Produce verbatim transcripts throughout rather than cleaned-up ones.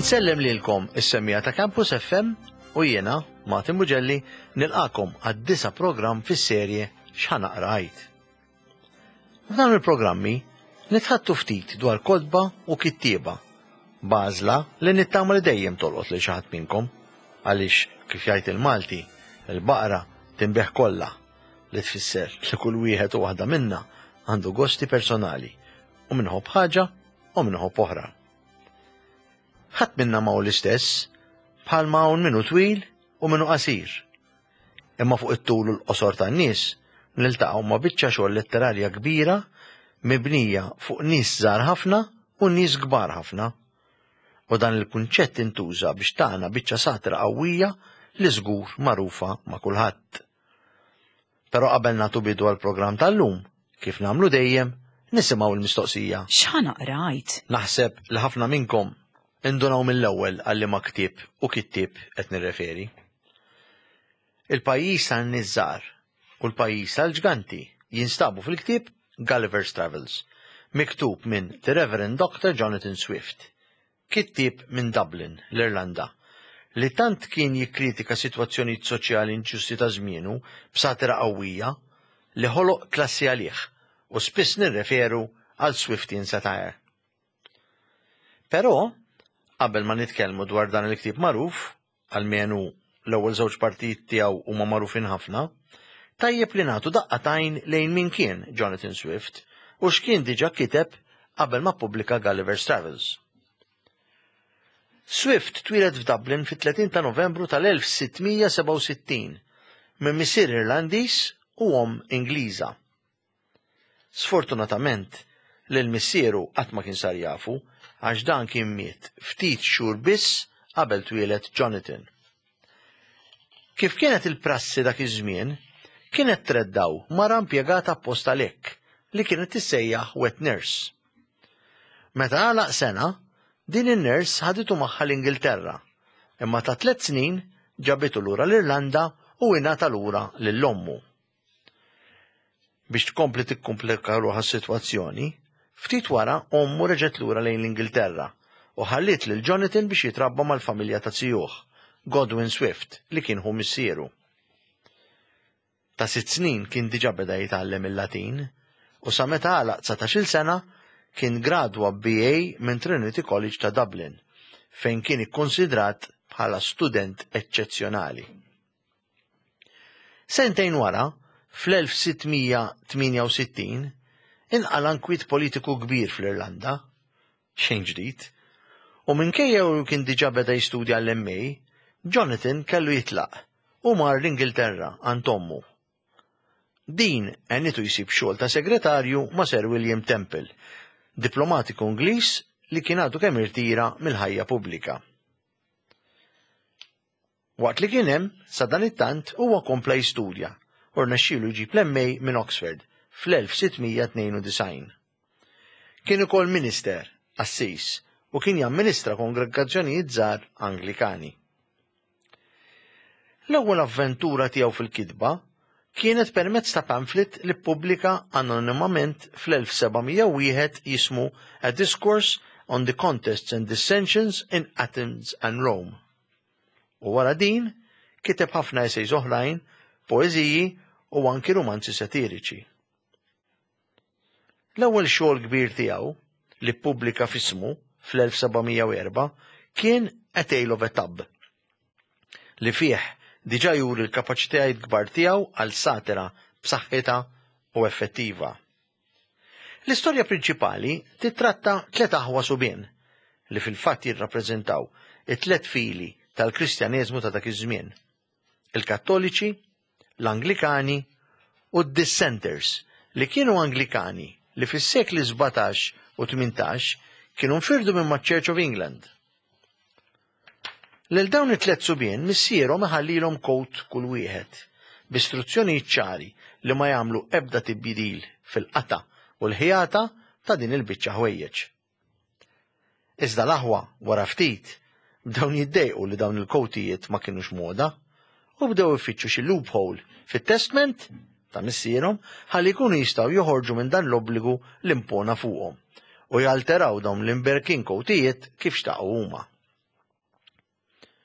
Insellem lilkom is-semmiegħa ta' Campus F M u jiena, Martin Bugelli, nilqagħkom għad-disa' programm fis-serje X'Ħa Naqra Għid. F'dawn il-programmi nitħaddtu ftit dwar kotba u kittieba, b'għażla li nittama li dejjem tolqot lil xi ħadd minnkom, għaliex kif jgħid il-Malti, il-baqra tinbiegħ kollha, li tfisser li kull wieħed u waħda minna għandu gosti personali u min iħobb ħaġa u min iħobb oħra. Ħadd minna ma hu l-istess, bħalma hawn min hu twil u min hu qasir. Imma fuq it-tul u l-qosor tan-nies niltaqgħu ma' biċċa xogħol letterarja kbira mibnija fuq nies żgħar ħafna u nies kbar ħafna. U dan il-kunċett intuża biex tana biċċa satira qawwija li żgur magħrufa ma' kulħadd. Però qabel nagħtu bidu għall-programm tal-lum, kif nagħmlu dejjem, nisimgħu l-mistoqsija. X'ħa naqra Għid? Naħseb li ħafna minnkom indunaw mill-ewwel għal liema ktieb u kittieb qed nirreferi. Il-pajjiż tan-nies żgħar u l-pajjiż tal-ġganti jinstabu fil-ktieb Gulliver's Travels, miktub minn The Reverend Doctor Jonathan Swift, kittieb minn Dublin, l-Irlanda, li tant kien jikkritika sitwazzjonijiet soċjali inġusti ta' żmienu b'satira qawwija li ħoloq klassi għalih u spiss nirreferu għal Swiftian satire. Però, qabel ma nitkellmu dwar dan il-ktieb magħruf, almenu l-ewwel żewġ partijiet tiegħu huma magħrufin ħafna, tajjeb li nagħtu daqqa t'għajn lejn min kien Jonathan Swift u x'kien diġà kiteb qabel ma ppubblika Gulliver's Travels. Swift twieled f'Dublin fit-tletin ta' Novembru tal-elf sitt mija sebgħa u sittin minn missier Irlandiż u omm Ingliża. Sfortunatament, lil missieru qatt ma kien sar jafu għax dan kien miet ftit xhur biss qabel twieled Jonathan. Kif kienet il-prassi dak iż-żmien, kienet treddgħu mara impjegata apposta lek li kienet tissejjaħ wet nurse. Meta għalaq sena, din in-nurse ħaditu magħha l-Ingilterra, imma ta' tliet snin ġabitu lura l-Irlanda u ingħata lura lil ommu. Biex tkompli tikkomplika ruħha s-sitwazzjoni, ftit wara ommu reġgħet lura lejn l-Ingilterra u ħalliet lil Jonathan biex jitrabba mal-familja ta' zijuh, Godwin Swift, li kien ħu missieru. Ta' sitt snin kien diġà beda jitgħallem il-Latin u sa meta għalaq dsatax-il sena kien gradwa B A minn Trinity College ta' Dublin, fejn kien ikkonsidrat bħala student eċċezzjonali. Sentejn wara, fl-elf sitt mija tmienja u sittin, inqala nkwiet politiku kbir fl-Irlanda, xejn ġdid, u minkejja u kien diġà beda jistudja l-M A, Jonathan kellu jitlaq u mar l-Ingilterra għand ommu. Din għenitu jsib xogħol ta' segretarju ma' Sir William Temple, diplomatiku Ingliż li kien għadu kemm irtira mill-ħajja pubblika. Waqt li kien hemm, sa dan it-tant huwa kompla jistudja u rnexxielu jġib l-M A minn Oxford fl-elf sitt mija tnejn u disgħin. Kien ukoll minister, qassis, u kien jamministra kongregazzjonijiet żgħar Anglikani. L-ewwel avventura tiegħu fil-kitba kienet permezz ta' pamphlet li ppubblika anonimament fl-elf seba' mija u wieħed jismu A Discourse on the Contests and Dissensions in Athens and Rome. U wara din, kiteb ħafna essays oħrajn, poeżiji u anki romanzi satiriċi. L-ewwel xogħol kbir tiegħu li ppubblika f'ismu fl-elf seba' mija u erbgħa kien A Tale of a Tub, li fih diġà juri l-kapaċitajiet kbar tiegħu għal satira b'saħħitha u effettiva. L-istorja prinċipali titratta tliet aħwa subien li fil-fatt jirrappreżentaw it-tliet fili tal-Kristjaneżmu ta' dak iż-żmien: il-Kattoliċi, l-Anglikani u d-Dissenters, li kienu Anglikani li fis-sekli sbatax u tmintax kienu nfirdu minn ma' Church of England. Lil dawn it-tliet subien missierhom iħallilhom coat kull wieħed, b'istruzzjonijiet ċari li ma jagħmlu ebda tibdil fil-qata u l-ħjata ta' din il-biċċa ħwejjeġ. Iżda l-aħwa wara ftit bdew jiddejqu li dawn il-kowtijiet ma kienux moda u bdew ifittxu xi loophole fit-testment ta' missierhom ħalli jkunu jistgħu joħorġu minn dan l-obbligu li impona fuqhom u jalteraw dawn l-imberkin kowtijiet kif xtaqu huma.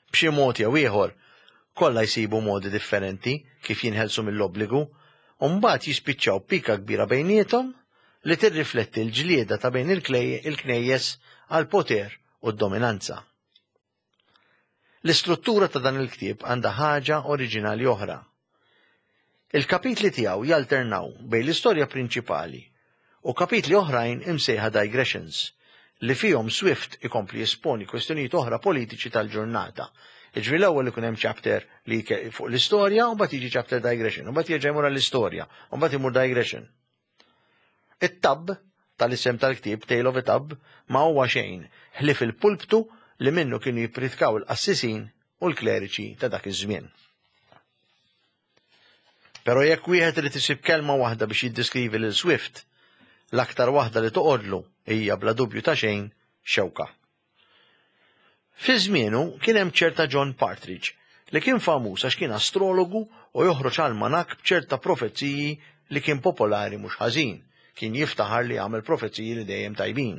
B'xi mod jew ieħor, kollha jsibu modi differenti kif jinħelsu mill-obbligu, u mbagħad jispiċċaw pika kbira bejniethom li tirrifletti l-ġlieda ta' bejn il-knejjes għall-poter u d-dominanza. L-istruttura ta' dan il-ktieb għandha ħaġa oriġinali oħra. Il-kapitli tiegħu jalternaw bejn l-istorja prinċipali u kapitli oħrajn imsejħa digressions, li fihom Swift ikompli jesponi kwestjonijiet oħra politiċi tal-ġurnata. Jiġifieri l-ewwel ikun hemm chapter li fuq l-istorja u mbagħad jiġi chapter digression, u mbagħad jerġa' jmur għall-istorja, u mbagħad imur digression. It-Tub tal-isem tal-ktieb, Tale of a Tub, ma huwa xejn ħlief il-pulptu li minnu kienu jippritkaw il-qassisin u l-kleriċi ta' dak iż-żmien. Però jekk wieħed irid isib kelma waħda biex jiddeskrivi lil Swift, l-aktar waħda li toqgħodlu hija bla dubju ta' xejn xewka. Fi żmienu kien hemm ċerta John Partridge li kien famuż għax kien astrologu u joħroġ almanak b'ċerta profeziji li kien popolari mhux ħażin, kien jiftaħar li għamel profeziji li dejjem tajbin.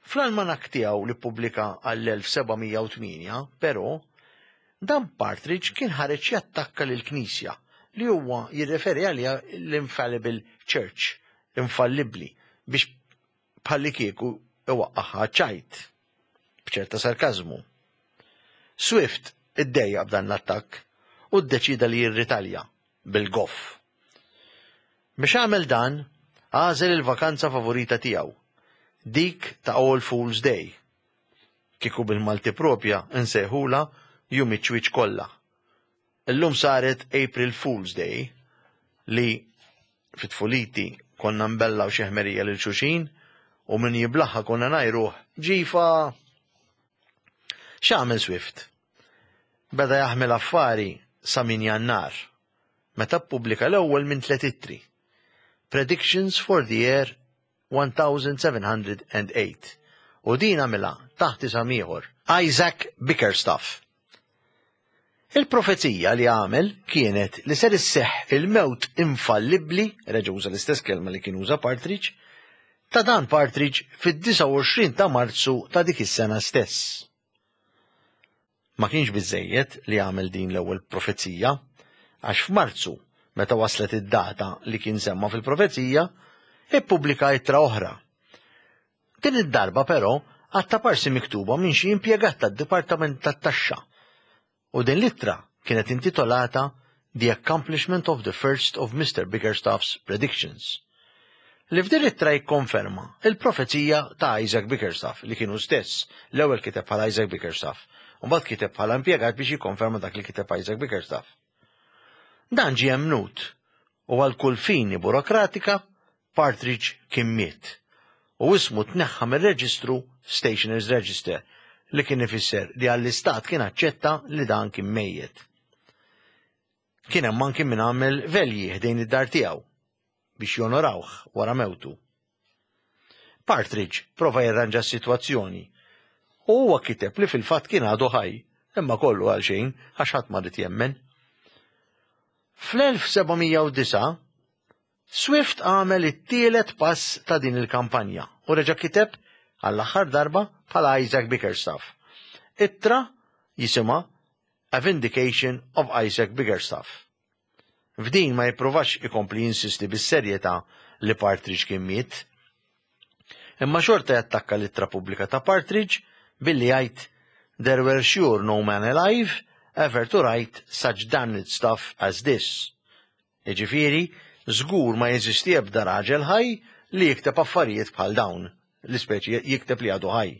Fl-almanak tiegħu li ppubblika għall-elf seba' mija u tmienja, però, dan Partridge kien ħareġ jattakka lill-Knisja li huwa jirreferi għaliha l-Infallible Church, infallibbli, biex bħallikieku iwaqqaħħa ċajt, b'ċerta sarkażmu. Swift iddejjaq b'dan l-attakk u ddeċida li jirritalja bil-goff. Biex għamel dan, għażel il-vakanza favorita tiegħu, dik ta' All Fool's Day. Kieku bil-Malti propja nsejħula jum iċ-ċwieċ kollha. Illum saret April Fool's Day li fit-tfuliti konna nbellaw xi ħmerija lil xulxin u min jiblaħħa konna ngħajruh ġifa. X'għamel Swift? Beda jaħmel affari sa minn Jannar, meta ppubblika l-ewwel minn tliet ittri. Predictions for the year one thousand seven hundred and eight. U din għamilha taħt isem ieħor, Isaac Bickerstaff. Il-profezija li għamel kienet li ser isseħħ il-mewt infallibbli, reġa' uża l-istess kelma li kien uża Partridge, ta' dan Partridge fid-disgħa u għoxrin ta' Marzu ta' dik is-sena stess. Ma kienx biżejjed li għamel din l-ewwel profezija, għax f'Marzu, meta waslet id-data li kien semma fil-profezija, ippubblika ittra oħra. Din id-darba però għatta parsi miktuba minn xi impjegat tad-Dipartiment tat-Taxxa. U din l-ittra kienet intitolata The Accomplishment of the First of Mister Bickerstaff's Predictions. Li f'din l-ittra jikkonferma il-profezija ta' Isaac Bickerstaff li kienu stess l-ewwel kiteb bħala Isaac Bickerstaff, u mbagħad kiteb bħala impjegat biex jikkonferma dak li kiteb Isaac Bickerstaff. Dan ġie emnut u għal kull fini burokratika Partridge kien miet u ismu tneħħa mir-reġistru Stationers Register li kien ifisser li għall-istat kien aċċetta li dan kien mejjet. Kien hemm anki min għamel velji ħdejn id-dar tiegħu biex jonorawh wara mewtu. Partridge prova jirranġa s-sitwazzjoni u huwa kiteb li fil-fatt kien għadu ħaj, imma kollu għal xejn għax ħadd ma rid jemmen. Fl-elf seba' mija u disgħa, Swift għamel it-tielet pass ta' din il-kampanja u reġa' kiteb għall-aħħar darba bħala Isaac Bickerstaff. Ittra jisimha A Vindication of Isaac Bickerstaff. F'din ma jippruvax ikompli jinsisti bis-serjetà li Partridge kien miet. Imma xorta jattakka l-ittra pubblika ta' Partridge billi jgħid There were sure no man alive ever to write such damned stuff as this. Jiġifieri, żgur ma jeżisti ebda raġel ħaj li jikteb affarijiet bħal dawn, l-ispeċi jikteb li għadu ħaj.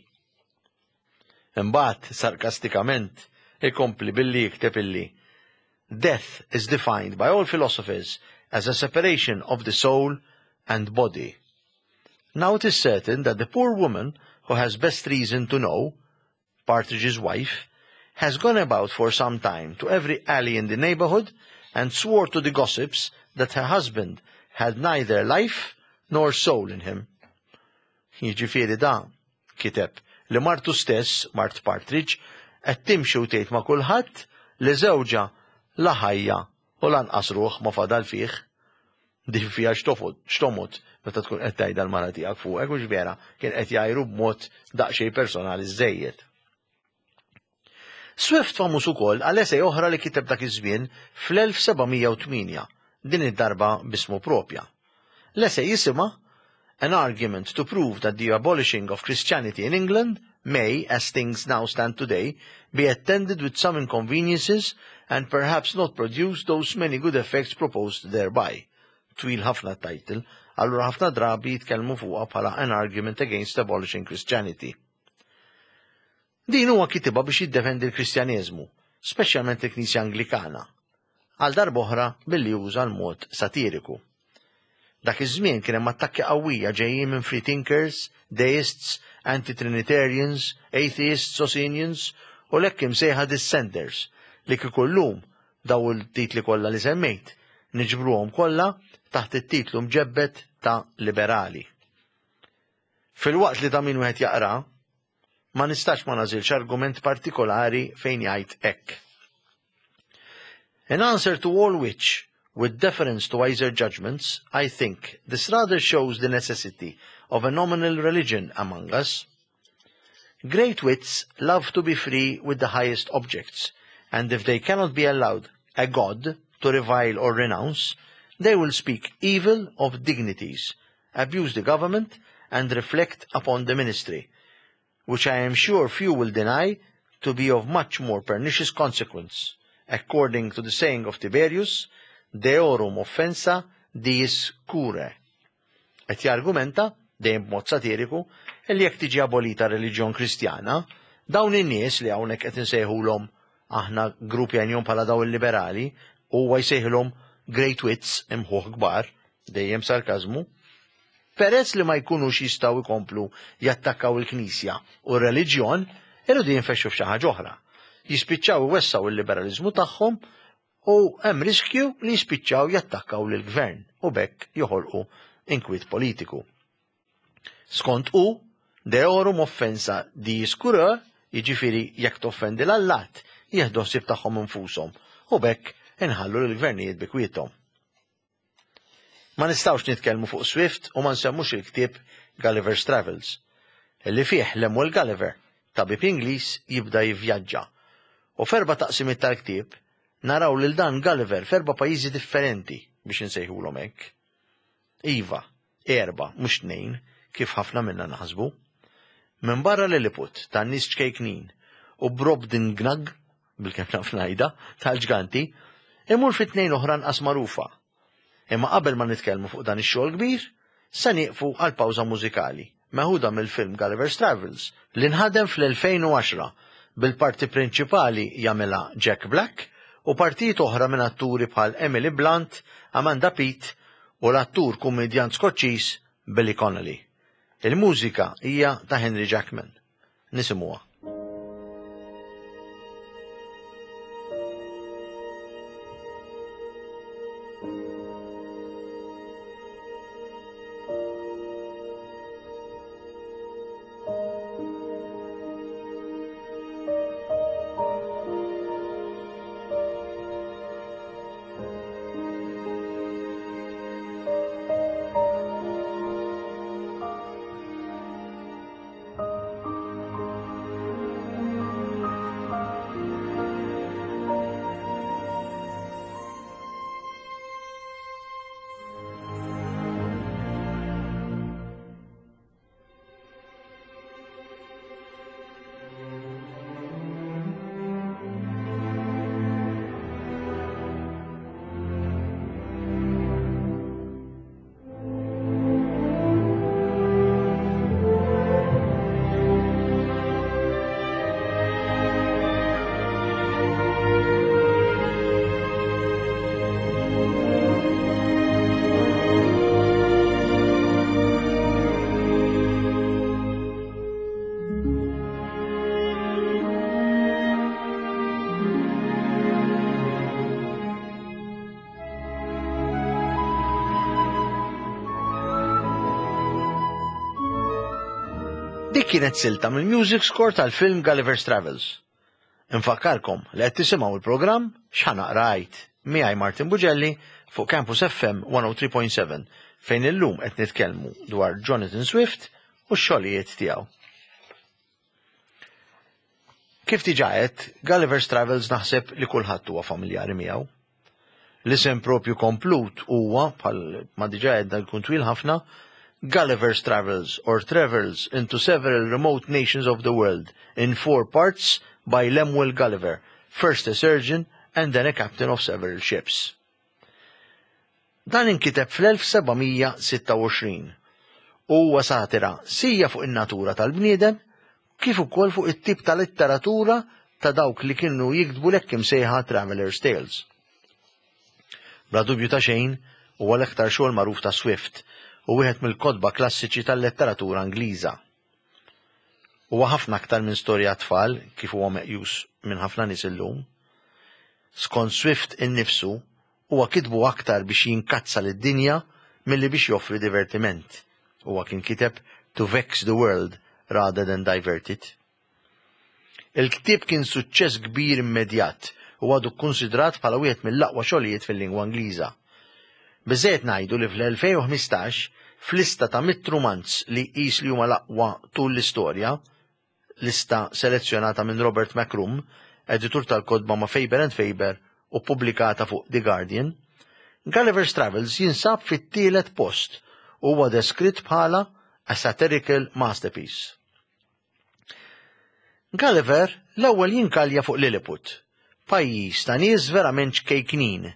Imbagħad, sarkastikament, ikompli billi jikteb illi Death is defined by all philosophers as a separation of the soul and body. Now it is certain that the poor woman who has best reason to know, Partridge's wife, has gone about for some time to every alley in the neighborhood and swore to the gossips that her husband had neither life nor soul in him. Jiġifieri da kiteb li martu stess, Mart Partridge, qed timxi u tgħid ma' kulħadd li żewġha la ħajja u lanqas ruħ ma fadal fih. Din fiha x'tofod, x'tomod meta tkun qed tgħidha l-mara tiegħek fuqek, u vera kien qed jgħajru b'mod daqsxejn personali żejjed. Swift famuż ukoll għal esej oħra li kiteb dak iż-żmien fl-elf seba' mija u tmienja, din id-darba b'ismu propja. L-esej jisimha An Argument to Prove That the Abolishing of Christianity in England May, as things now stand today, be attended with some inconveniences and perhaps not produce those many good effects proposed thereby. Twil ħafna title, allura ħafna drabi jitkellmu fuqha bħala An Argument Against Abolishing Christianity. Din huwa kitibha biex jiddefendi l-Kristjaneżmu, speċjalment il-Knisja Anglikana, għal darb'oħra billi juża l-mod satiriku. Dak iż-żmien kien hemm attakki qawwija ġejjin minn free thinkers, deists, anti-Trinitarians, atheists, Socinians u l-hekk imsejħa dissenters li kieku llum daw il-titli kollha li semmejt niġbruhom kollha taħt it-titlu mġebbet ta' liberali. Filwaqt li ta' min wieħed jaqra, ma nistax ma nażilx argument partikolari fejn jgħid hekk. In answer to all which, with deference to wiser judgments, I think this rather shows the necessity of a nominal religion among us. Great wits love to be free with the highest objects, and if they cannot be allowed a god to revile or renounce, they will speak evil of dignities, abuse the government, and reflect upon the ministry, which I am sure few will deny to be of much more pernicious consequence. According to the saying of Tiberius, deorum offensa diis cure. Et jargumenta, dejjem b'mod satiriku, li jekk tiġi abolita reliġjon Kristjana, dawn in-nies li hawnhekk qed insejħulhom aħna gruppi għajnihom bħala daw il-liberali, huwa jsejħilhom great wits imħuħ kbar, dejjem sarkażmu, peress li ma jkunux jistgħu jkomplu jattakkaw il-Knisja u r-reliġjon, irridu jinfexxu f'xi ħaġa oħra. Jispiċċaw iwessaw il-liberalizmu tagħhom u hemm riskju li jispiċċaw jattakkaw lill-gvern u bekk joħolqu inkwiet politiku. Skont hu, deorum offensa diis curae, jiġifieri jekk toffendi l-allat, jieħdu ħsieb tagħhom infushom u bekk inħallu lill-gvernijiet bi kwiethom. Ma nistgħux nitkellmu fuq Swift u ma nsemmux il-ktieb Gulliver's Travels, li fih Lemuel Gulliver, tabib Ingliż, jibda jivvjaġġa. U f'erba' taqsimiet tal-ktieb naraw lil dan Gulliver f'erba' pajjiżi differenti biex insejħulhom hekk. Iva, erba', mhux tnejn, kif ħafna minna naħsbu. Minn barra Lilliput tan-nies ċkejknin u Brobdingnag, bil-kemm naf ngħidha, tal-ġganti, imur fi tnejn oħra nqas magħrufa. Imma qabel ma nitkellmu fuq dan ix-xogħol kbir, se nieqfu għal pawża mużikali, meħuda mill-film Gulliver's Travels, li nħadem fl-elfejn u għaxra bil-parti prinċipali jagħmilha Jack Black u partijiet oħra minn atturi bħal Emily Blunt, Amanda Peet u l-attur kummedjant Skoċċiż Billy Connolly. Il-mużika hija ta' Henry Jackman. Nisimuha. Dik kienet silta mill-music score tal-film Gulliver's Travels. Infakkarkom li qed tisimgħu il-programm X'Ħa Naqra Għid miegħi Martin Bugelli fuq Campus F M one oh three point seven fejn illum qed nitkellmu dwar Jonathan Swift u x-xogħlijiet tiegħu. Kif diġà għedt, Gulliver's Travels naħseb li kulħadd huwa familjari miegħu. L-isem propju komplut huwa, bħal ma diġà għedna jkun twil ħafna, Gulliver's Travels or Travels into Several Remote Nations of the World in Four Parts by Lemuel Gulliver, first a surgeon and then a captain of several ships. Dan inkiteb fl-elf seba' mija sitta u għoxrin u huwa satira sija fuq in-natura tal-bniedem kif ukoll fuq it-tip ta' letteratura ta' dawk li kienu jiktbu l-hekk imsejħa Traveler's Tales. Bla dubju ta' xejn huwa l-aktar xogħol magħruf ta' Swift u wieħed mill-kotba klassiċi tal-letteratura Ingliża. Huwa ħafna aktar minn storja tfal kif huwa meqjus minn ħafna nies illum. Skont Swift innifsu, huwa kitbu aktar biex jinkazza lid-dinja milli biex joffri divertiment. Huwa kien kiteb to vex the world rather than divert it. Il-ktieb kien suċċess kbir immedjat u għadu kkunsidrat bħala wieħed mill-aqwa xogħlijiet fil-lingwa Ingliża. Biżżejjed ngħidu li fl-elfejn u ħmistax, f'lista ta' mitt rumanz li jqis li huma l-aqwa tul l-istorja, lista selezzjonata minn Robert McCrum, editur tal-kotba ma' Faber and Faber u ppubblikata fuq The Guardian, Gulliver's Travels jinsab fit-tielet post u huwa deskritt bħala a satirical masterpiece. Gulliver l-ewwel jinkalja fuq Lilliput, pajjiż ta' nies verament ċkejknin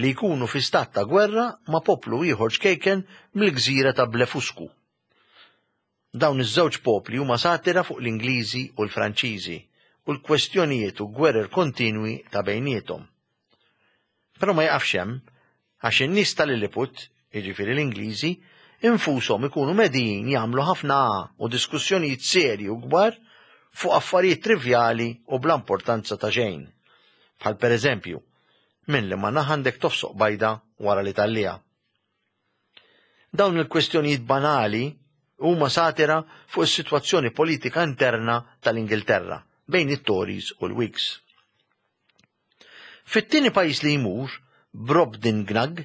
li jkunu fi stat ta' gwerra ma' poplu ieħor ċkejken mill-gżira ta' Blefuscu. Dawn iż-żewġ popli huma satira fuq l-Ingliżi u l-Franċiżi u l-kwestjonijiet u gwerer kontinwi ta' bejniethom. Però ma jaqafx hemm, għax in-nies ta' Lilliput, jiġifieri l-Ingliżi, infushom ikunu medijin jagħmlu ħafna u diskussjonijiet serji u kbar fuq affarijiet trivjali u bla importanza ta' xejn. Bħal pereżempju, minn li ma naħandek tofsoq bajda wara li tallija. Dawn il-kwestjonijiet banali huma satira fuq is-sitwazzjoni politika interna tal-Ingilterra bejn it-Tories u l-Whigs. Fit-tieni pajjiż li jmur, Brobdingnag,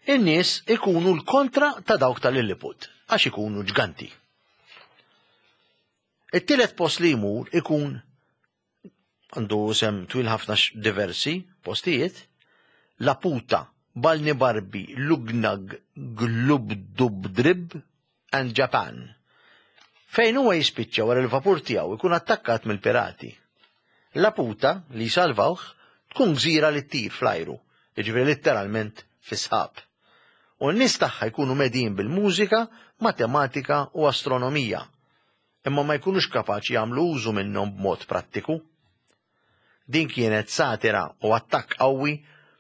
in-nies ikunu l-kontra ta' dawk tal-Lilliput, għax ikunu ġganti. It-tielet post li jmur ikun għandu sem twil ħafna diversi postijiet, Laputa, Balnibarbi, Lugnag, Glubdubdrib and Japan, fejn huwa jispiċċa wara l-vapur tiegħu ikun attakkat mill-pirati. Laputa, li jsalvawh, tkun gżira li ttir fl-ajru, jiġifieri letteralment fis-sħab. U n-nies tagħha jkunu medin bil-mużika, matematika u astronomija, imma ma jkunux kapaċi jagħmlu użu minnhom b'mod prattiku. Din kienet satira u attakk qawwi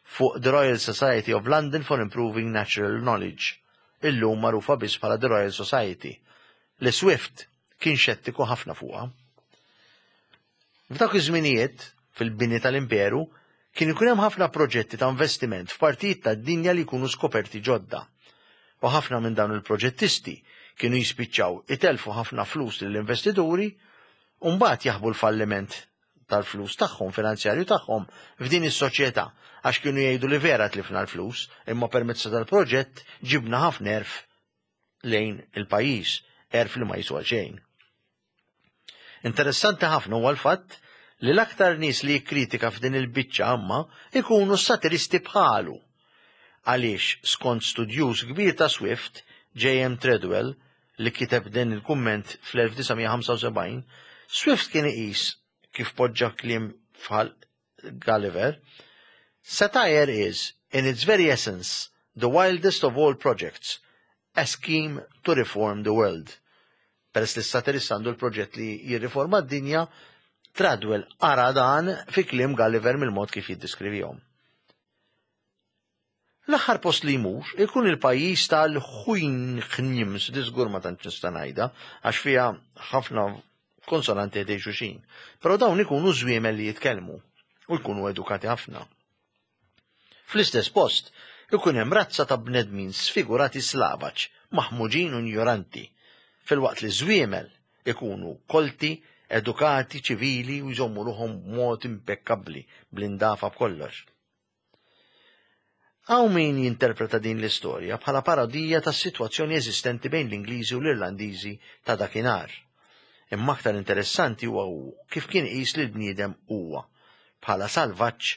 fuq the Royal Society of London for Improving Natural Knowledge, illum magħrufa biss bħala the Royal Society, li Swift kien xettiku ħafna fuqha. F'dawk iż-żminijiet, fil-bini tal-imperu, kien ikun hemm ħafna proġetti ta' investiment f'partijiet tad-dinja li jkunu skoperti ġodda. U ħafna minn dawn il-proġettisti kienu jispiċċaw itelfu ħafna flus lill-investituri u mbagħad jaħbu l-falliment tal-flus tagħhom, finanzjarju tagħhom f'din is-soċjetà, għax kienu jgħidu li vera tlifna l-flus, imma permezz tal-proġett ġibna ħafna erf lejn il-pajjiż, erf li ma jiswa xejn. Interessanti ħafna huwa l-fatt li l-aktar nies li jikkritika f'din il-biċċa għamma ikunu satiristi bħalu. Għaliex skont studjuż kbir ta' Swift, J M Treadwell, li kiteb din il-kumment fl-elf disa' mija ħamsa u sebgħin, Swift kien iqis kif poġġa kliem bħal Gulliver, Satire is, in its very essence, the wildest of all projects, a scheme to reform the world. Peress li s-satirist għandu l-proġett li jirriforma d-dinja, Treadwell ara dan fi kliem Gulliver mill-mod kif jiddiskrivihom. L-aħħar post li jmur ikun il-pajjiż tal-Huinchnims, di żgur ma tantx nista' ngħidha, għax fiha ħafna konsonanti ħdej xulxin. Però dawn ikunu żwiemel li jitkellmu u jkunu edukati ħafna. Fl-istess post ikun hemm razza ta' bnedmin sfigurati slavaġ, maħmuġin u ignoranti, filwaqt li żwiemel ikunu kolti, edukati, ċivili u jżommu ruħhom b'mod impekkabbli, bl-indafa b'kollox. Hawn min jinterpreta din l-istorja bħala parodija tas-sitwazzjoni eżistenti bejn l-Ingliżi u l-Irlandiżi ta' dakinhar. Imma aktar interessanti huwa kif kien iqis li l-bniedem huwa bħala salvaġġ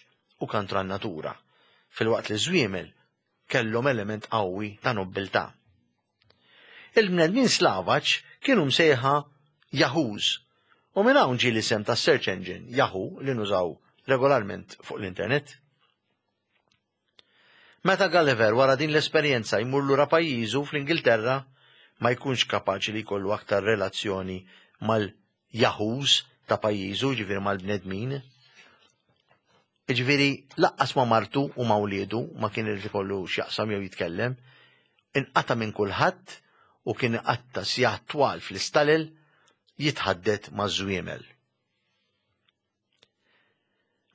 u kontra n-natura, filwaqt li żwiemel kellhom element qawwi ta' nobbiltà. Il-bnedmin slavaġ kienu msejħa Yahoos u minn hawn ġie l-isem ta' search engine Yahoo li nużaw regolarment fuq l-internet. Meta Gulliver wara din l-esperjenza jmur lura pajjiżu fl-Ingilterra, ma jkunx kapaċi li jkollu aktar relazzjoni mal-Yahoos ta' pajjiżu, ġifieri mal-bnedmin. Ġifieri lanqas ma' martu u ma' wliedu ma kien irid ikollu x'jaqsam jew jitkellem, inqata' minn kulħadd u kien iqatta' sigħat twal fl-istalel jitħaddet ma' żwiemel.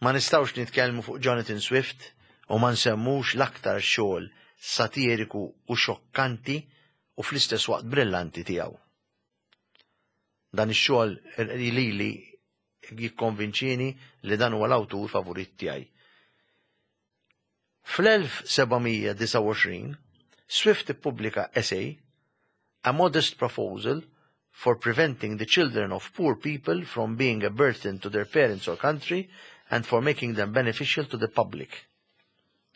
Ma nistgħux nitkellmu fuq Jonathan Swift u ma nsemmux l-aktar xogħol satiriku u xokkanti u fl-istess waqt brillanti tiegħu. Dan ix-xogħol lili jikkonvinċini li dan huwa l-awtur favorit tiegħi. Fl-elf seba' mija disgħa u għoxrin Swift ippubblika essay, "A Modest Proposal for Preventing the Children of Poor People from Being a Burden to Their Parents or Country and for Making Them Beneficial to the Public",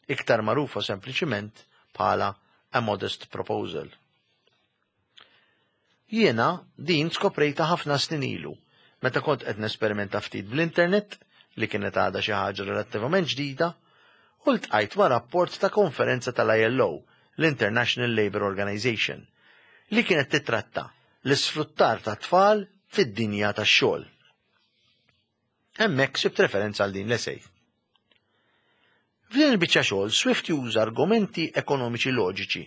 iktar magħrufa sempliċiment bħala "A Modest Proposal". Jiena din skoprejta ħafna snin ilu, meta kont qed nesperimenta ftit bl-internet li kienet għadha xi ħaġa relattivament ġdida, u ltqajt ma' rapport ta' konferenza tal-I L O, l-International Labour Organization, li kienet titratta l-isfruttar ta' tfal fid-dinja tax-xogħol. Hemmhekk sibt referenza għal din l-essay. F'din il-biċċa xogħol Swift juża argumenti ekonomiċi loġiċi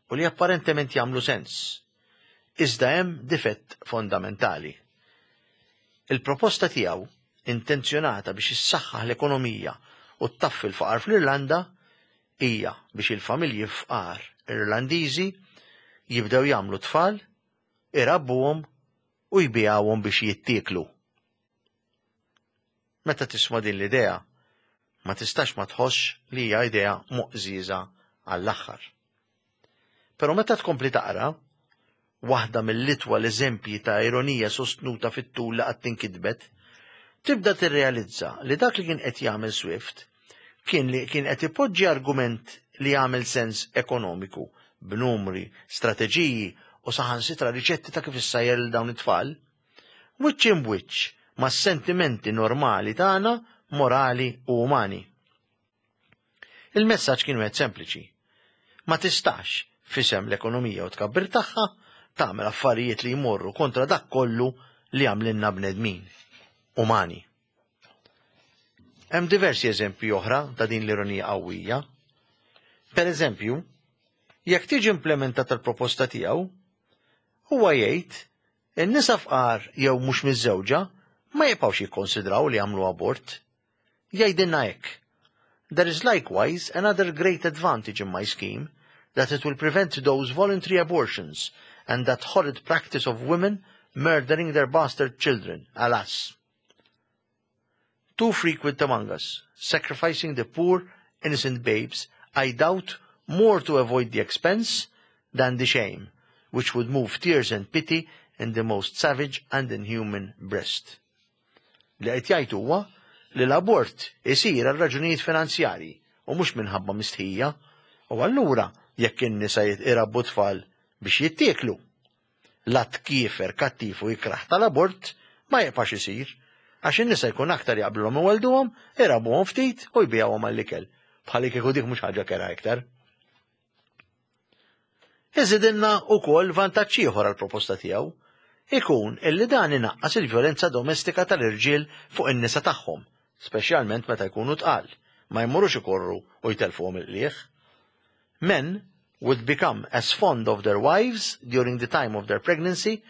u li apparentement jagħmlu sens. Iżda hemm difett fondamentali. Il-proposta tiegħu, intenzjonata biex issaħħaħ l-ekonomija u ttaffi l-faqar fl-Irlanda, hija biex il-familji fqar Irlandiżi jibdew jagħmlu tfal, irabbuhom u jbigħuhom biex jittieklu. Meta tisma' din l-idea, ma tistax ma tħossx li hija idea moqżieża għall-aħħar. Però meta tkompli taqra, waħda mill-itwal eżempji ta' ironija sostnuta fit-tul li qatt tinkitbet, tibda tirrealizza li dak li kien qed jagħmel Swift kien li kien qed ipoġġi argument li jagħmel sens ekonomiku b'numri, strateġiji u saħansitra riċetti ta' kif issajjar lil dawn it-tfal, wiċċ imbwiċċ ma' sentimenti normali tagħna, morali u umani. Il-messaġġ kien wieħed sempliċi. Ma tistax, f'isem l-ekonomija u tkabbir tagħha, tagħmel affarijiet li jmorru kontra dak kollu li għamlilna bnedmin, umani. Hemm diversi eżempji oħra ta' din l-ironija qawwija. Per eżempju, jekk tiġi implementata l-proposta tiegħu, huwa jgħid in-nisa fqar jew mhux miżżewġa ma jibqgħux jikkonsidraw li jagħmlu abort. Jgħidilna hekk: "There is likewise another great advantage in my scheme, that it will prevent those voluntary abortions and that horrid practice of women murdering their bastard children, alas, too frequent among us, sacrificing the poor, innocent babes, I doubt more to avoid the expense than the shame, which would move tears and pity in the most savage and inhuman breast." Li qed jgħid huwa li l-abort isir għal raġunijiet finanzjarji u mhux minħabba mistħija, u allura jekk in-nisa irabbu tfal biex jittieklu, l-att kiefer, kattiv u ikrah tal-abort ma jibqax isir, għax in-nisa jkun aktar jaqblhom iwelduhom, irabbuhom ftit u jbigħuhom għall-ikel. Bħali kieku dik mhux ħaġa kerha iktar. Iżidilna ukoll vantaġġ ieħor għall-proposta tiegħu, ikun illi dan inaqqas il-vjolenza domestika tal-irġiel fuq in-nisa tagħhom, speċjalment meta jkunu tqal, ma jmurux ikorru u jtelfuhom il-qliegħ. "Men would become as fond of their wives during the time of their pregnancy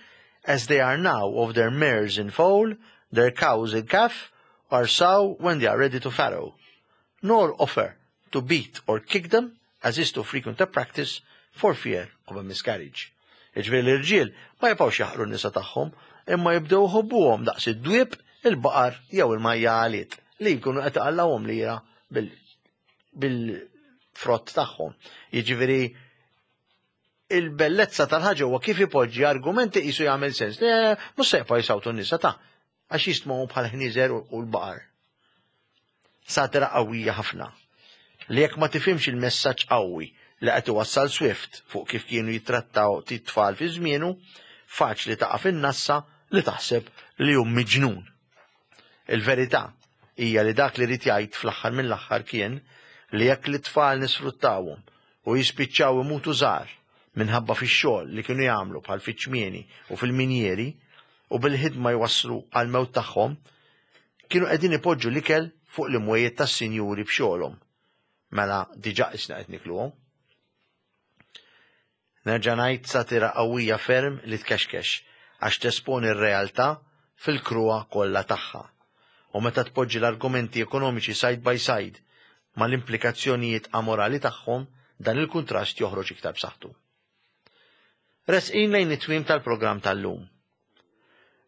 as they are now of their mares in foal, their cows in calf, or sow when they are ready to farrow, nor offer to beat or kick them, as is too frequent a practice, for fear of a miscarriage." Iġifieri l-irġiel ma jibqgħux jaħqru n-nisa tagħhom, imma jibdew iħobbuhom daqs id-dwieb, il-baqar jew il-majjaliet li jkunu qed iqallgħuhom lira bil-frott tagħhom. Jiġifieri Il-bellezza tal-ħaġa huwa kif ipoġġi argumenti qisu jagħmel sens. Le, mhux se jibqgħu jsawtu n-nisa ta' għax jistmgħu bħal ħnieżer u l-baqar. Satira qawwija ħafna. Li jekk ma tifhimx il-messaġġ qawwi li qed iwassal Swift fuq kif kienu jittrattaw t-tfal fi żmienu, faċli taqa' fin-nassa li taħseb li hu miġnun. Il-verità hija li dak li ried jgħid fl-aħħar mill-aħħar kien li jekk l-tfal nisfruttawhom u jispiċċaw imutu żgħar minħabba fix-xogħol li kienu jagħmlu bħal fiċ-ċmieni u fil-minjeri u bil-ħidma jwasslu għal mewt tagħhom, kienu qegħdin ipoġġu l-ikel fuq l-imwejjed tas-sinjuri b'xogħolhom. Mela diġà isna qed nikluhom. Nerġa' ngħid, satira qawwija ferm li tkexkex għax tesponi r-realtà fil-kruha kollha tagħha. U meta tpoġġi l-argumenti ekonomiċi side by side mal-implikazzjonijiet amorali tagħhom, dan il-kuntrast joħroġ iktar b'saħħtu. Resqin lejn it-tmiem tal-programm tal-lum.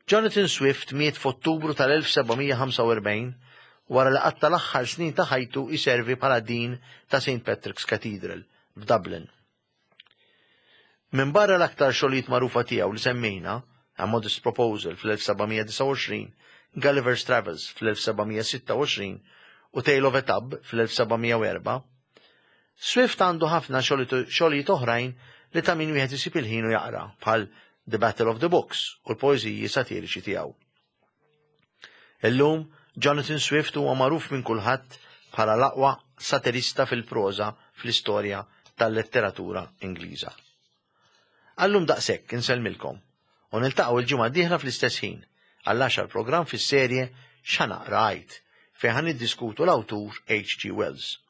Jonathan Swift miet f'Ottubru tal-elf seba' mija ħamsa u erbgħin wara li qatta l-aħħar snin ta' ħajtu iservi bħala dean ta' Saint Patrick's Cathedral f'Dublin. Minn barra l-aktar xogħlijiet magħrufa tiegħu li semmejna, A Modest Proposal fl-elf seba' mija disgħa u għoxrin, Gulliver's Travels fl-elf seba' mija sitta u għoxrin u Tale of a Tub fl-elf seba' mija u erbgħa, Swift għandu ħafna xogħlijiet oħrajn li ta' min wieħed isib il-ħin u jaqra, bħal The Battle of the Books u l-poeżiji satiriċi tiegħu. Illum, Jonathan Swift huwa magħruf minn kulħadd bħala l-aqwa satirista fil-proża fl-istorja tal-letteratura Ingliża. Għallum daqshekk, insellmilkom u niltaqgħu il-ġimgħa d-dieħla fl-istess ħin għall-għaxar programm fis-serje X'Ħa Naqra Għid, fejn ħa niddiskutu l-awtur H G. Wells.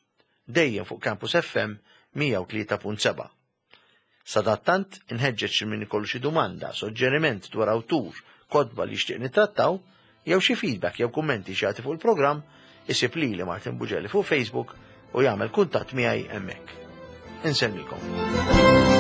Dejjem fuq Campus F M mija u tlieta punt seba'. Sadattant inħeġġeġ min ikollu xi domanda, suġġeriment dwar awtur, kotba li jixtieq nittrattaw, jew xi feedback jew kummenti xi fuq il-programm, isib lili Martin Bugelli fuq Facebook u jagħmel kuntatt miegħi hemmhekk. Insellmilkom.